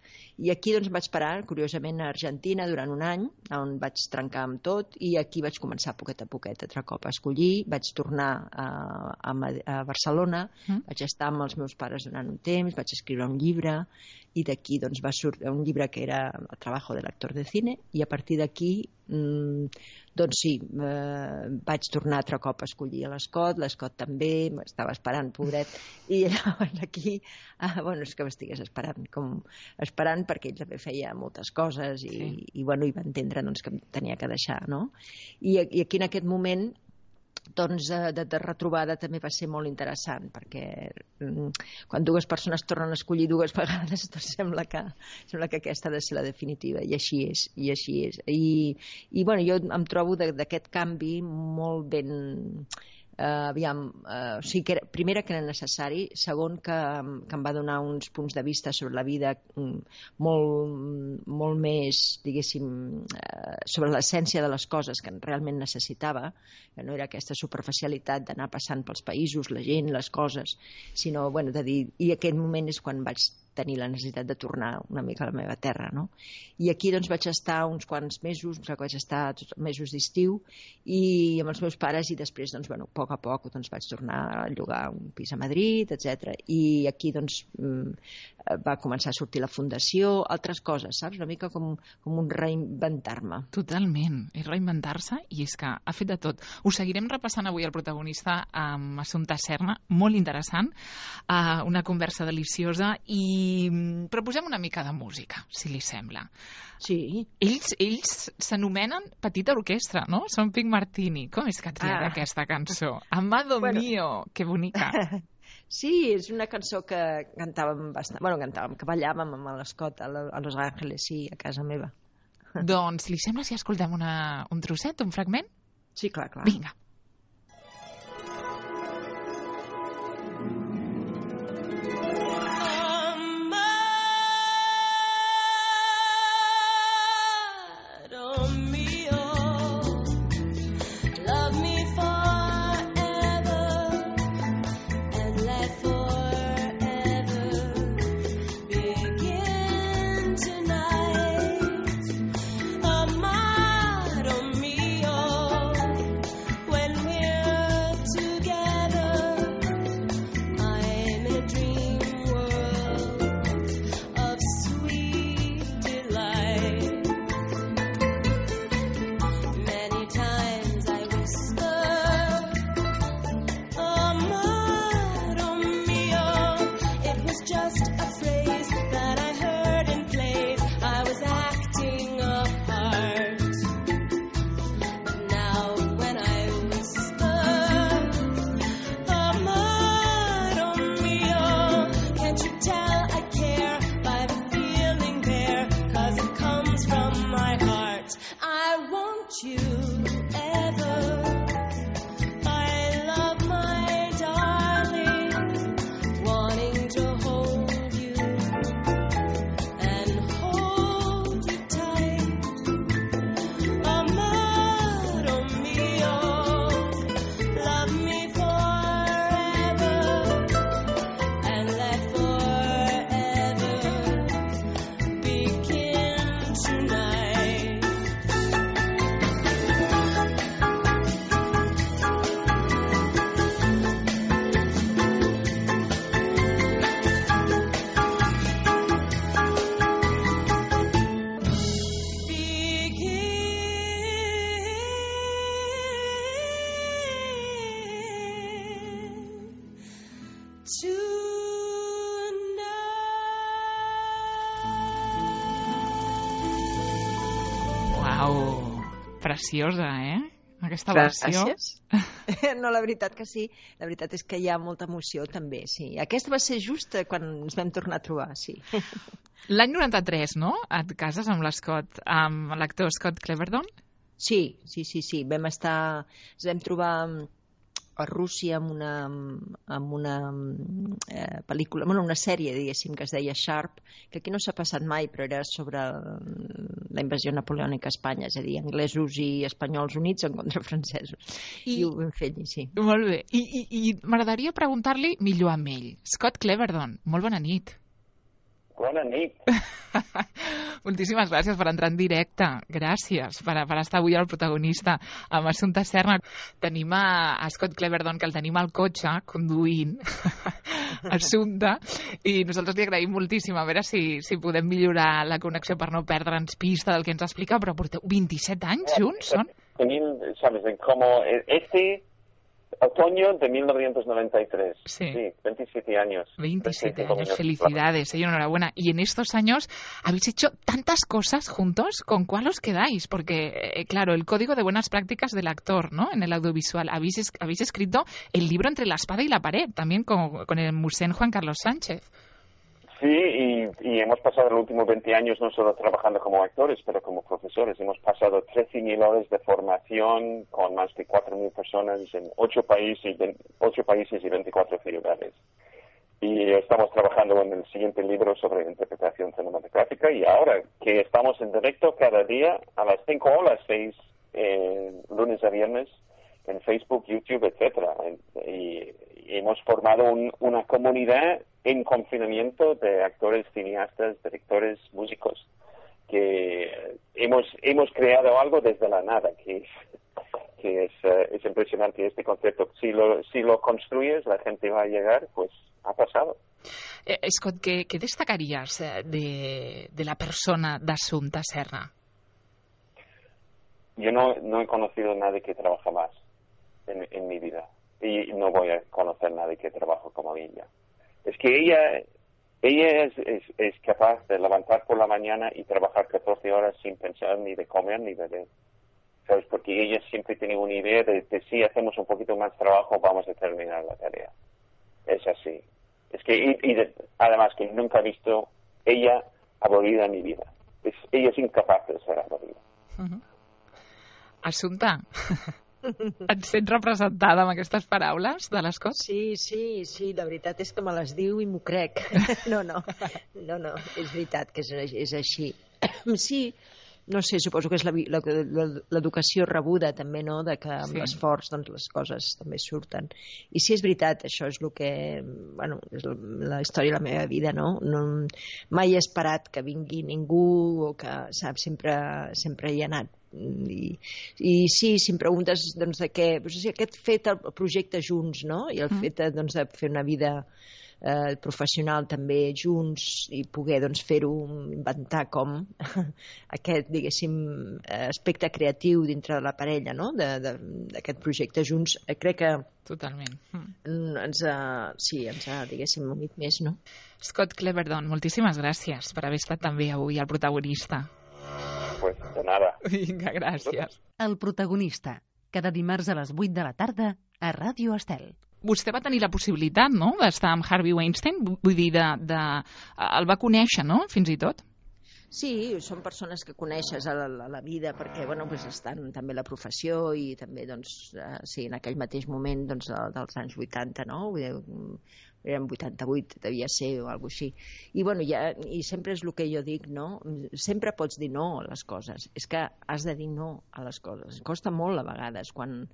I aquí doncs, vaig parar, curiosament, a Argentina durant un any, on vaig trencar amb tot, i aquí vaig començar poquet a poquet, altre cop a escollir, vaig tornar a, a, a Barcelona, mm. vaig estar amb els meus pares durant un temps, vaig escriure un llibre, i d'aquí doncs, va sortir un llibre que era El trabajo del actor de cine, i a partir d'aquí mmm, doncs sí, eh, vaig tornar altre cop a escollir a l'Escot, l'Escot també, m'estava esperant, pobret, i llavors aquí, ah, bueno, és que m'estigués esperant, com esperant perquè ell també feia moltes coses i, sí. i, bueno, i va entendre doncs, que em tenia que deixar, no? I, i aquí en aquest moment doncs de, de retrobada també va ser molt interessant, perquè mm, quan dues persones tornen a escollir dues vegades doncs sembla que, sembla que aquesta ha de ser la definitiva, i així és, i així és. I, i bueno, jo em trobo d'aquest canvi molt ben... Uh, aviam, uh, o sigui que era, primera que era necessari, segon que, que em va donar uns punts de vista sobre la vida um, molt, molt més, diguéssim, uh, sobre l'essència de les coses que realment necessitava, que no era aquesta superficialitat d'anar passant pels països, la gent, les coses, sinó, bueno, de dir, i aquell moment és quan vaig tenir la necessitat de tornar una mica a la meva terra, no? I aquí doncs vaig estar uns quants mesos, que vaig estar tots mesos d'estiu, i amb els meus pares, i després, doncs, bueno, a poc a poc doncs, vaig tornar a llogar un pis a Madrid, etcètera. I aquí doncs va començar a sortir la fundació, altres coses, saps? Una mica com, com un reinventar-me. Totalment, és reinventar-se, i és que ha fet de tot. Ho seguirem repassant avui el protagonista amb Assumpta Serna, molt interessant, uh, una conversa deliciosa, i però posem una mica de música, si li sembla. Sí. Ells ells s'anomenen Petita Orquestra, no? Són Pink Martini. Com és que et triat ah. aquesta cançó? Amado bueno. mío, que bonica. Sí, és una cançó que cantàvem bastant, bueno, cantàvem, que ballàvem amb l'Escot a Los Ángeles, sí, a casa meva. Doncs li sembla si escoltem una, un trosset, un fragment? Sí, clar, clar. Vinga. Preciosa, eh? aquesta versió. Gràcies. No, la veritat que sí. La veritat és que hi ha molta emoció, també, sí. Aquesta va ser just quan ens vam tornar a trobar, sí. L'any noranta-tres, no?, et cases amb l'Scott, amb l'actor Scott Cleverdon? Sí, sí, sí, sí. Vam estar... Ens vam trobar a Rússia amb una, amb una eh, pel·lícula, bueno, una sèrie, diguéssim, que es deia Sharp, que aquí no s'ha passat mai, però era sobre la invasió napoleònica a Espanya, és a dir, anglesos i espanyols units en contra francesos. I, I ho vam fer allí, sí. Molt bé. I, i, i m'agradaria preguntar-li millor amb ell. Scott Cleverdon, molt bona nit. Bona nit. Moltíssimes gràcies per entrar en directe. Gràcies per, per estar avui al protagonista amb Assumpta Serna. Tenim a, a Scott Cleverdon, que el tenim al cotxe, conduint Assumpta, i nosaltres li agraïm moltíssim. A veure si, si podem millorar la connexió per no perdre'ns pista del que ens explica, però porteu vint-i-set anys junts, són? Tenim, sabes, como este... Otoño de mil novecientos noventa y tres. Sí. Sí, veintisiete años. veintisiete años, felicidades, y enhorabuena. Y en estos años habéis hecho tantas cosas juntos, ¿con cuál os quedáis? Porque, eh, claro, el código de buenas prácticas del actor, ¿no?, en el audiovisual. Habéis, es habéis escrito el libro Entre la espada y la pared, también con, con el musén Juan Carlos Sánchez. Sí, y, y hemos pasado los últimos veinte años no solo trabajando como actores, pero como profesores. Hemos pasado trece mil horas de formación con más de cuatro mil personas en ocho países, ocho países y veinticuatro ciudades. Y estamos trabajando en el siguiente libro sobre interpretación cinematográfica, y ahora que estamos en directo cada día a las cinco o las seis, eh, lunes a viernes, en Facebook, YouTube, etcétera. Y, y hemos formado un, una comunidad en confinamiento de actores, cineastas, directores, músicos, que hemos hemos creado algo desde la nada, que es, que es, uh, es impresionante este concepto. Si lo, si lo construyes, la gente va a llegar, pues ha pasado. Eh, Scott, ¿qué, qué destacarías de, de la persona de Assumpta Serna? Yo no, no he conocido a nadie que trabaja más en, en mi vida, y no voy a conocer a nadie que trabaja como ella. Es que ella ella es, es, es capaz de levantar por la mañana y trabajar catorce horas sin pensar ni de comer ni de beber, ¿sabes? Porque ella siempre tiene una idea de, de si hacemos un poquito más trabajo vamos a terminar la tarea. Es así. Es que, y, y de, además que nunca he visto ella aburrida en mi vida. Es, ella es incapaz de ser aburrida. Uh-huh. Assumpta, et sents representada amb aquestes paraules de l'Scott? Sí, sí, sí, la veritat és que me les diu i m'ho crec. No, no, no, no, és veritat que és, és així. Sí, no sé, suposo que és l'educació rebuda també, no?, de que amb sí. l'esforç doncs, les coses també surten. I sí, és veritat, això és el que, bueno, és la història de la meva vida, no? no mai he esperat que vingui ningú o que, saps, sempre, sempre hi he anat. I, i sí, si em preguntes doncs, de què, doncs, sí, aquest fet el projecte junts, no?, i el mm. fet doncs, de fer una vida eh, professional també junts i poder doncs, fer-ho, inventar com aquest, diguéssim, aspecte creatiu dintre de la parella, no?, d'aquest projecte junts, crec que totalment ens ha, sí, ens ha, diguéssim, unit més, no? Scott Cleverdon, moltíssimes gràcies per haver estat també avui el protagonista. Pues de nada. Vinga, gràcies. El protagonista, cada dimarts a les vuit de la tarda a Ràdio Estel. Vostè va tenir la possibilitat, no?, d'estar amb Harvey Weinstein, vull dir, de, de, el va conèixer, no?, fins i tot? Sí, són persones que coneixes a la, a la vida perquè, bueno, doncs estan també a la professió i també, doncs, eh, sí, en aquell mateix moment doncs, dels anys vuitanta, no?, vull dir, eren vuitanta-vuit, devia ser, o alguna cosa així. I, bueno, ja, i sempre és el que jo dic, no? Sempre pots dir no a les coses. És que has de dir no a les coses. Costa molt, a vegades, quan,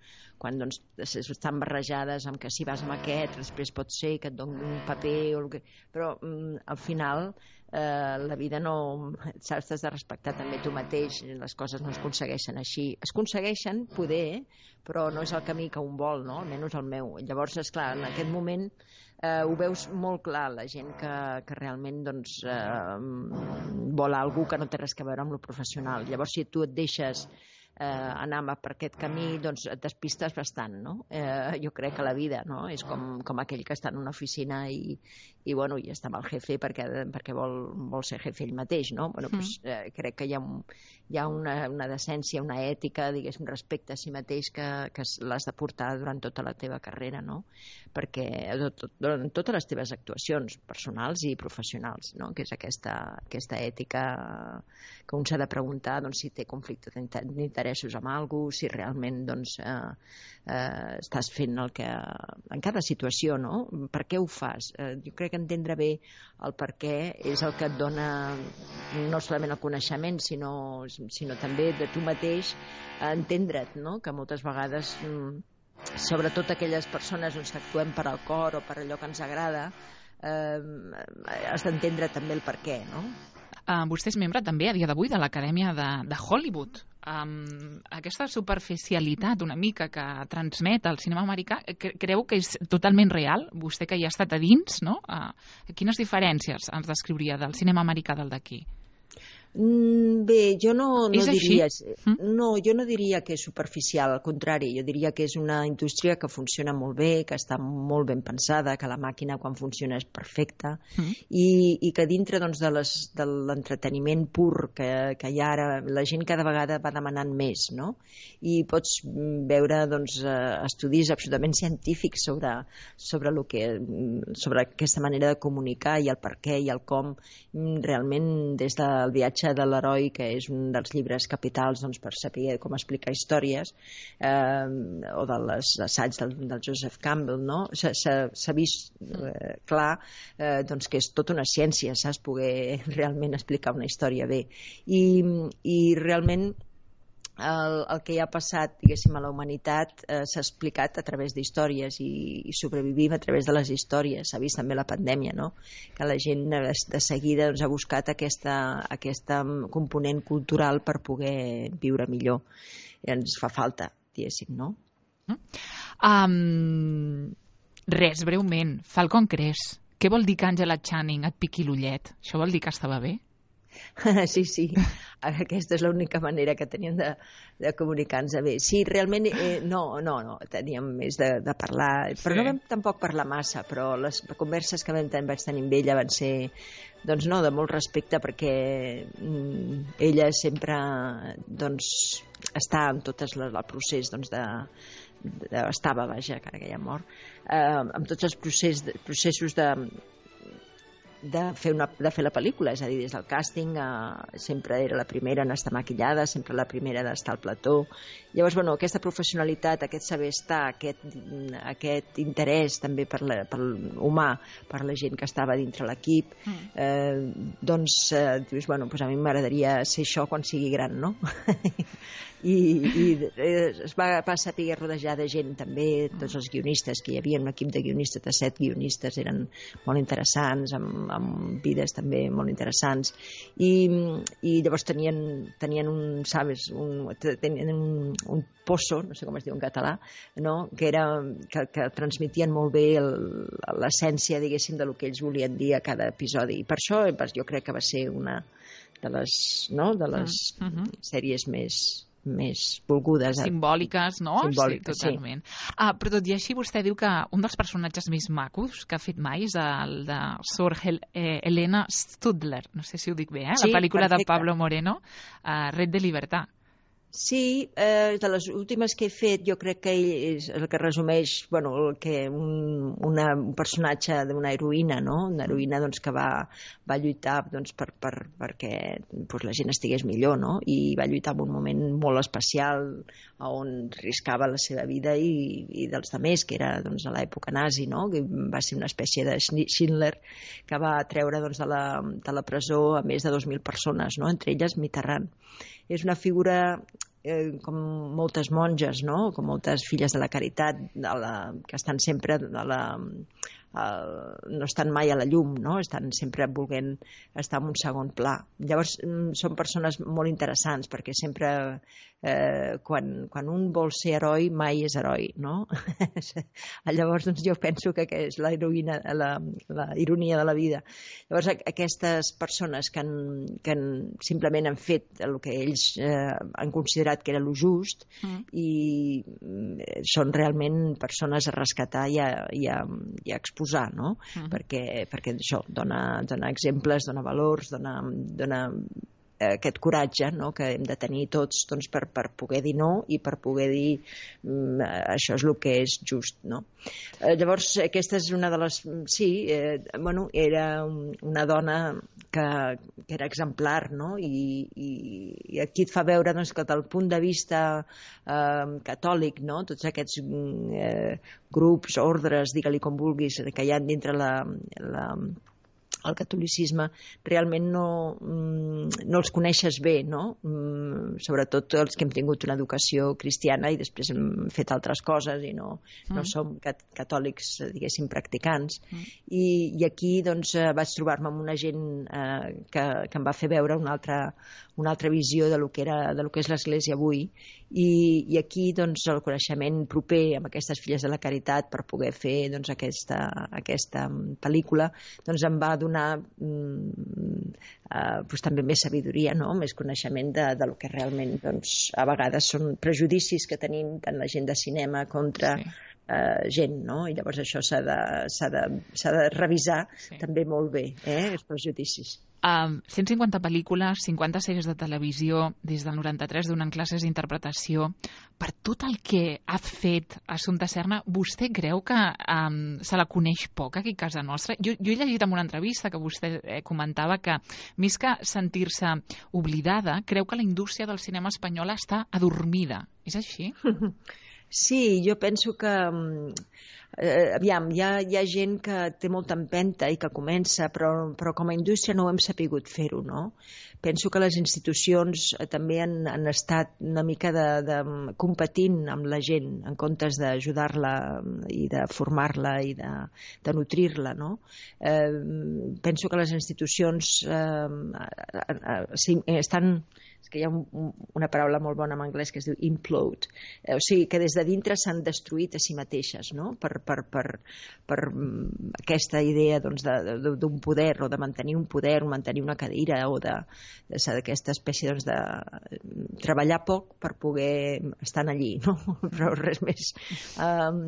quan doncs, estan barrejades amb que si vas amb aquest, després pot ser que et doni un paper o el que... Però, mm, al final, eh, la vida no... Saps, has de respectar també tu mateix. Les coses no es aconsegueixen així. Es aconsegueixen, poder, però no és el camí que un vol, no? Almenys el meu. Llavors, esclar, en aquest moment eh, ho veus molt clar, la gent que, que realment doncs, eh, vol algú que no té res a veure amb lo professional. Llavors, si tu et deixes eh, anar per aquest camí, doncs et despistes bastant, no? Eh, jo crec que la vida, no? És com, com aquell que està en una oficina i, i, bueno, i està amb el jefe perquè, perquè vol, vol ser jefe ell mateix, no? Bueno, mm. doncs, eh, crec que hi ha, un, hi ha una, una decència, una ètica, diguéssim, respecte a si mateix que, que l'has de portar durant tota la teva carrera, no? Perquè tot, durant totes les teves actuacions personals i professionals, no? Que és aquesta, aquesta ètica que un s'ha de preguntar, doncs, si té conflicte d'interessos amb algú, si realment, doncs, eh, eh, estàs fent el que... En cada situació, no? Per què ho fas? Eh, jo crec que entendre bé el per què és el que et dona no solament el coneixement, sinó, sinó també de tu mateix entendre't, no? Que moltes vegades, sobretot aquelles persones doncs, que actuem per al cor o per allò que ens agrada, eh, has d'entendre també el per què, no? Uh, vostè és membre també a dia d'avui de l'Acadèmia de, de Hollywood. Um, aquesta superficialitat una mica que transmet el cinema americà, cre creu que és totalment real? Vostè que hi ha estat a dins, no? Uh, quines diferències ens descriuria del cinema americà del d'aquí? Bé, jo no, no diria... Mm? No, jo no diria que és superficial, al contrari, jo diria que és una indústria que funciona molt bé, que està molt ben pensada, que la màquina quan funciona és perfecta, mm. i, i que dintre doncs, de les, de l'entreteniment pur que, que hi ha ara, la gent cada vegada va demanant més, no? I pots veure doncs, estudis absolutament científics sobre, sobre, lo que, sobre aquesta manera de comunicar i el per què i el com, realment des del viatge de l'heroi, que és un dels llibres capitals doncs, per saber com explicar històries, eh, o de les assaigs del, del Joseph Campbell, no? S'ha vist eh, clar eh, doncs, que és tota una ciència, saps? Poder realment explicar una història bé. I, i realment el, el que hi ha passat, diguéssim, a la humanitat eh, s'ha explicat a través d'històries i, i sobrevivim a través de les històries. S'ha vist també la pandèmia, no? Que la gent de seguida doncs, ha buscat aquesta, aquesta component cultural per poder viure millor. I ens fa falta, diguéssim, no? Um, res, breument. Falcon Crest. Què vol dir que Angela Channing et piqui l'ullet? Això vol dir que estava bé? Sí, sí, aquesta és l'única manera que teníem de, de comunicar-nos bé. Sí, realment, eh, no, no, no, teníem més de, de parlar, però sí. No vam tampoc parlar massa, però les converses que vam tenir, vaig tenir amb ella van ser, doncs no, de molt respecte, perquè mm, ella sempre, doncs, està en tot el procés, doncs, de, de estava, vaja, encara que ja mort, eh, amb tots els procés, processos de de fer, una, de fer la pel·lícula, és a dir, des del càsting eh, sempre era la primera en estar maquillada, sempre la primera d'estar al plató. Llavors, bueno, aquesta professionalitat, aquest saber estar, aquest, aquest interès també per, la, per humà, per la gent que estava dintre l'equip, eh, doncs eh, dius, bueno, doncs a mi m'agradaria ser això quan sigui gran, no? I, i es va, va saber rodejar de gent també, tots els guionistes que hi havia, un equip de guionistes, de set guionistes, eren molt interessants, amb, amb vides també molt interessants, i, i llavors tenien, tenien un, sabes, un, tenien un, un pozo, no sé com es diu en català, no? que, era, que, que transmitien molt bé l'essència, diguéssim, de lo que ells volien dir a cada episodi, i per això jo crec que va ser una de les, no? de les uh -huh. sèries més més volgudes. Simbòliques, no? Simbòliques, sí, totalment. Sí. Ah, però tot i així vostè diu que un dels personatges més macos que ha fet mai és el de Sor Hel eh, Helena Studler, no sé si ho dic bé, eh? Sí, la pel·lícula perfecte. de Pablo Moreno, uh, Red de Libertad. Sí, eh, de les últimes que he fet jo crec que ell és el que resumeix, bueno, el que un, una, un personatge d'una heroïna, no? Una heroïna doncs, que va, va lluitar doncs, per, per, perquè doncs, la gent estigués millor, no? I va lluitar en un moment molt especial on riscava la seva vida i, i dels altres, que era doncs, a l'època nazi, no? Que va ser una espècie de Schindler que va treure doncs, de, la, de la presó a més de dos mil persones, no? Entre elles Mitterrand. És una figura eh, com moltes monges, no? Com moltes filles de la caritat de la, que estan sempre a la, no estan mai a la llum, no? Estan sempre volent estar en un segon pla. Llavors, són persones molt interessants, perquè sempre, eh, quan, quan un vol ser heroi, mai és heroi, no? Llavors, doncs, jo penso que és la, heroïna, la, la ironia de la vida. Llavors, aquestes persones que, han, que han, simplement han fet el que ells eh, han considerat que era lo just mm. i són realment persones a rescatar i a, i a, i a exposar, no? Mm. perquè, perquè això dona, dona exemples, dona valors, dona, dona aquest coratge, no?, que hem de tenir tots, doncs, per, per poder dir no i per poder dir mm, això és el que és just, no? Eh, llavors, aquesta és una de les... Sí, eh, bueno, era una dona que, que era exemplar, no? I, i, i aquí et fa veure, doncs, que del punt de vista eh, catòlic, no?, tots aquests eh, grups, ordres, digue-li com vulguis, que hi ha dintre la... la el catolicisme, realment no, no els coneixes bé, no? Sobretot els que hem tingut una educació cristiana i després hem fet altres coses i no, no mm. som catòlics, diguéssim, practicants. Mm. I, i aquí doncs, vaig trobar-me amb una gent eh, que, que em va fer veure una altra, una altra visió de lo que, era, de lo que és l'Església avui. I, i aquí doncs, el coneixement proper amb aquestes filles de la caritat per poder fer doncs, aquesta, aquesta pel·lícula doncs, em va donar mm, eh, doncs, també més sabidoria, no? Més coneixement de, de lo que realment doncs, a vegades són prejudicis que tenim tant la gent de cinema contra sí. eh, gent, no? I llavors això s'ha de, s'ha de, s'ha de revisar sí. també molt bé, eh? Els prejudicis. Um, cent cinquanta pel·lícules, cinquanta sèries de televisió, des del noranta-tres donant classes d'interpretació. Per tot el que ha fet Assumpta Serna, vostè creu que um, se la coneix poc aquí a casa nostra? Jo, jo he llegit en una entrevista que vostè eh, comentava que, més que sentir-se oblidada, creu que la indústria del cinema espanyol està adormida. És així? Sí, jo penso que... Eh, aviam, hi ha, hi ha gent que té molta empenta i que comença, però, però com a indústria no ho hem sapigut fer-ho, no? Penso que les institucions eh, també han, han estat una mica de, de competint amb la gent en comptes d'ajudar-la i de formar-la i de, de nutrir-la, no? Eh, penso que les institucions eh, eh, sí, estan... És que hi ha un, una paraula molt bona en anglès que es diu implode, eh, o sigui que des de dintre s'han destruït a si mateixes, no? per, per, per, per aquesta idea doncs, de, de, d'un poder o de mantenir un poder o mantenir una cadira o d'aquesta espècie doncs, de treballar poc per poder estar allí, no? Però res més. Um,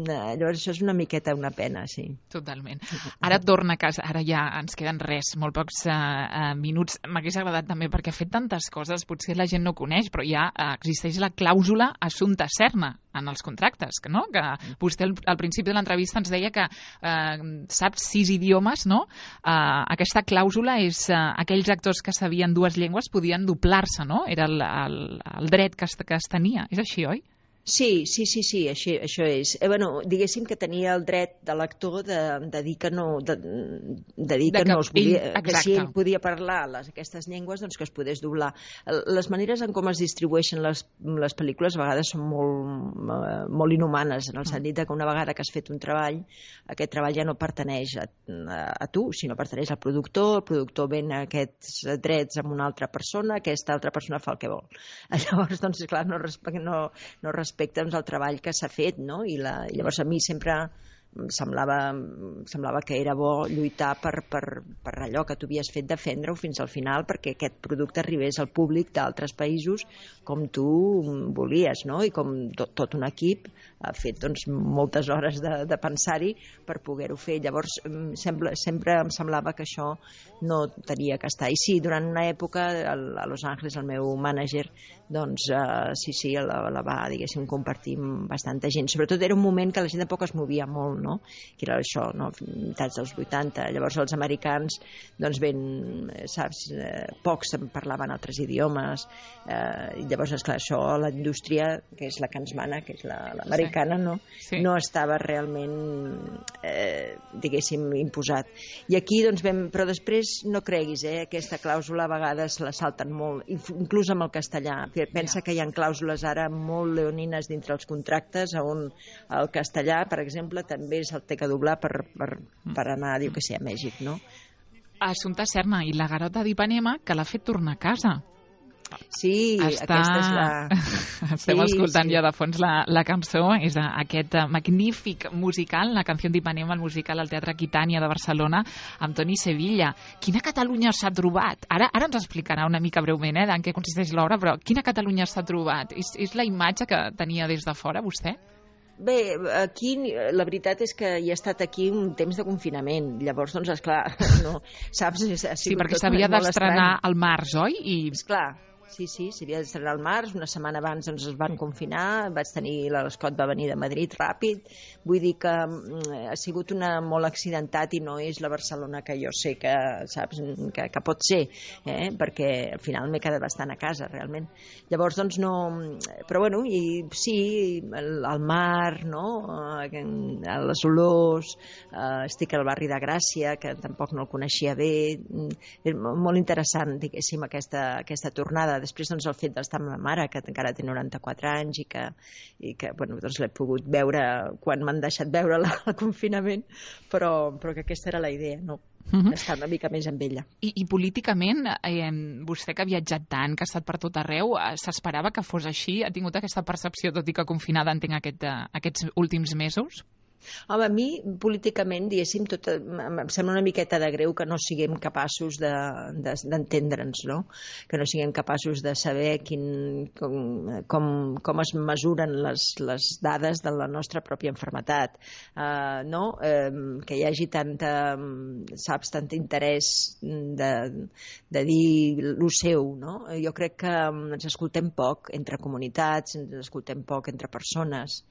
llavors això és una miqueta una pena, sí. Totalment. Ara torna a casa, ara ja ens queden res, molt pocs uh, uh, minuts. M'hagués agradat també perquè ha fet tantes coses, potser la gent no coneix, però ja existeix la clàusula Assumpta Serna en els contractes, no? Que vostè al, al principi de l'entrevista ens deia que eh, sap sis idiomes, no? Eh, aquesta clàusula és eh, aquells actors que sabien dues llengües podien doblar-se, no? Era el, el, el dret que es, que es tenia. És així, oi? Sí, sí, sí, sí, així, això és. Eh, bueno, diguéssim que tenia el dret de l'actor de, de dir que no, de, de dir de que, que no es podia, ell, que si ell podia parlar les, aquestes llengües, doncs que es podés doblar. Les maneres en com es distribueixen les, les pel·lícules a vegades són molt, molt inhumanes, en el sentit que una vegada que has fet un treball, aquest treball ja no pertaneix a, a, a tu, sinó pertaneix al productor, el productor ven aquests drets amb una altra persona, aquesta altra persona fa el que vol. Llavors, doncs, clar, no respecta no, no respecta respecte al treball que s'ha fet, no? I, la, i llavors a mi sempre semblava, semblava que era bo lluitar per, per, per allò que tu havies fet, defendre-ho fins al final perquè aquest producte arribés al públic d'altres països com tu volies, no? I com tot, tot un equip ha fet doncs, moltes hores de, de pensar-hi per poder-ho fer. Llavors sembla, sempre em semblava que això no tenia que estar. I sí, durant una època a Los Angeles el meu mànager doncs uh, sí, sí, la, la va, diguéssim, compartir amb bastanta gent. Sobretot era un moment que la gent tampoc es movia molt, no? Que era això, no? Mitats dels vuitanta. Llavors els americans, doncs ben, saps, eh, pocs parlaven altres idiomes. Eh, i llavors, esclar, això, la indústria, que és la que ens mana, que és l'americana, la, no? Sí. No estava realment, eh, diguéssim, imposat. I aquí, doncs, vam... Però després, no creguis, eh? Aquesta clàusula a vegades la salten molt, inclús amb el castellà. Pensa que hi ha clàusules ara molt leonines dintre els contractes, on el castellà, per exemple, també se'l té que doblar per, per, per anar, diu que sé, a Mèxic, no? Assumpta Serna, i la Garota d'Ipanema, que l'ha fet tornar a casa. Sí, Està... aquesta és la... Estem sí, escoltant sí. ja de fons la, la cançó, és aquest magnífic musical, la canció d'Ipanema, el musical al Teatre Aquitània de Barcelona, amb Toni Sevilla. Quina Catalunya s'ha trobat? Ara ara ens explicarà una mica breument eh, en què consisteix l'obra, però quina Catalunya s'ha trobat? És, és la imatge que tenia des de fora, vostè? Bé, aquí la veritat és que hi ha estat aquí un temps de confinament, llavors, doncs, esclar, no, saps? Ha sí, perquè s'havia d'estrenar al març, oi? I... Esclar, sí, sí, s'havia d'estrenar al març, una setmana abans doncs, es van confinar, vaig tenir, l'Escot va venir de Madrid ràpid, vull dir que ha sigut una molt accidentat i no és la Barcelona que jo sé que, saps, que, que pot ser, eh? Perquè al final m'he quedat bastant a casa, realment. Llavors, doncs, no... Però, bueno, i sí, el, el mar, no?, les olors, eh, estic al barri de Gràcia, que tampoc no el coneixia bé, és molt interessant, diguéssim, aquesta, aquesta tornada. Després, doncs, el fet d'estar amb ma mare, que encara té noranta-quatre anys i que, i que bueno, doncs l'he pogut veure quan m'han deixat veure el confinament, però, però que aquesta era la idea, no? Uh-huh. Estar una mica més amb ella. I, i políticament, eh, vostè que ha viatjat tant, que ha estat per tot arreu, eh, s'esperava que fos així? Ha tingut aquesta percepció, tot i que confinada entenc aquest, eh, aquests últims mesos? Home, a mi, políticament, diguéssim, tot, em sembla una miqueta de greu que no siguem capaços d'entendre'ns, de, de, no? Que no siguem capaços de saber quin, com, com, com es mesuren les, les dades de la nostra pròpia malaltia, uh, no? Uh, que hi hagi tanta, saps, tant interès de, de dir lo seu, no? Jo crec que ens escoltem poc entre comunitats, ens escoltem poc entre persones,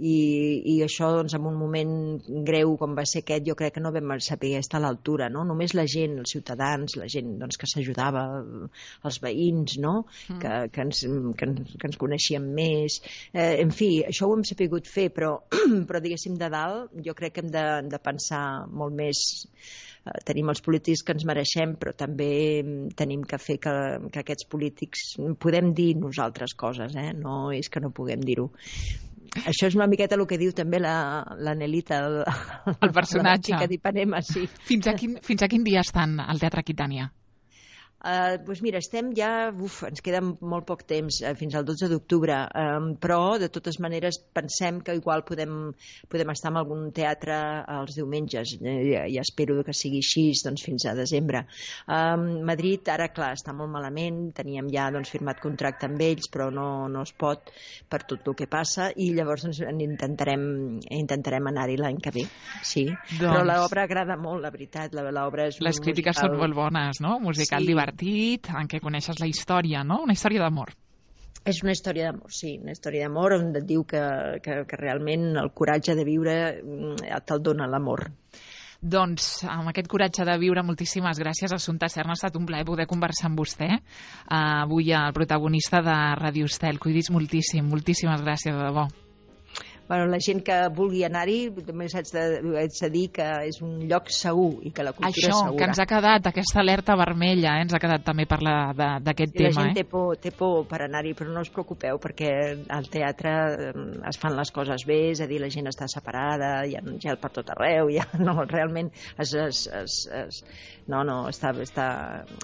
I, i això, doncs, en un moment greu com va ser aquest, jo crec que no vam saber estar a l'altura, no? Només la gent, els ciutadans, la gent, doncs, que s'ajudava, els veïns, no? Mm. Que, que, ens, que, ens, que ens coneixíem més, eh, en fi, això ho hem sapigut fer, però, però diguéssim, de dalt, jo crec que hem de, de pensar molt més. Tenim els polítics que ens mereixem, però també tenim que fer que, que aquests polítics podem dir nosaltres coses, eh? No és que no puguem dir-ho. Això és una miqueta el que diu també la, la Nelita, el, el personatge. La xica d'Ipanema, sí. Fins a, quin, fins a quin dia estan al Teatre Aquitània? Uh, doncs mira, estem ja, uf, ens queda molt poc temps, uh, fins al dotze d'octubre, um, però de totes maneres pensem que igual podem, podem estar en algun teatre els diumenges, uh, ja, ja espero que sigui així, doncs, fins a desembre. Um, Madrid, ara, clar, està molt malament, teníem ja, doncs, firmat contracte amb ells, però no, no es pot per tot el que passa, i llavors, doncs, intentarem, intentarem anar-hi l'any que ve, sí. Doncs... Però l'obra agrada molt, la veritat, l'obra és... Les crítiques musical... són molt bones, no? Musical sí. Divertit, en què coneixes la història, no? Una història d'amor. És una història d'amor, sí, una història d'amor on et diu que, que, que realment el coratge de viure te'l dona l'amor. Doncs, amb aquest coratge de viure, moltíssimes gràcies, Assumpta Serna. Ha estat un plaer poder conversar amb vostè. Uh, avui el protagonista de Radio Estel. Cuidis moltíssim, moltíssimes gràcies, de debò. Bueno, la gent que vulgui anar-hi, només haig de, haig de dir que és un lloc segur i que la cultura Això, és segura. Això, que ens ha quedat, aquesta alerta vermella, eh? Ens ha quedat també parlar d'aquest tema. La gent eh? té por, té por per anar-hi, però no us preocupeu, perquè al teatre es fan les coses bé, és a dir, la gent està separada, hi ha gel per tot arreu, ja, no, realment es, es, es, es, no, no, està, està,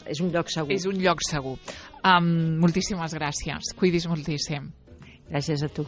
és un lloc segur. És un lloc segur. Um, moltíssimes gràcies, cuidis moltíssim. Gràcies a tu.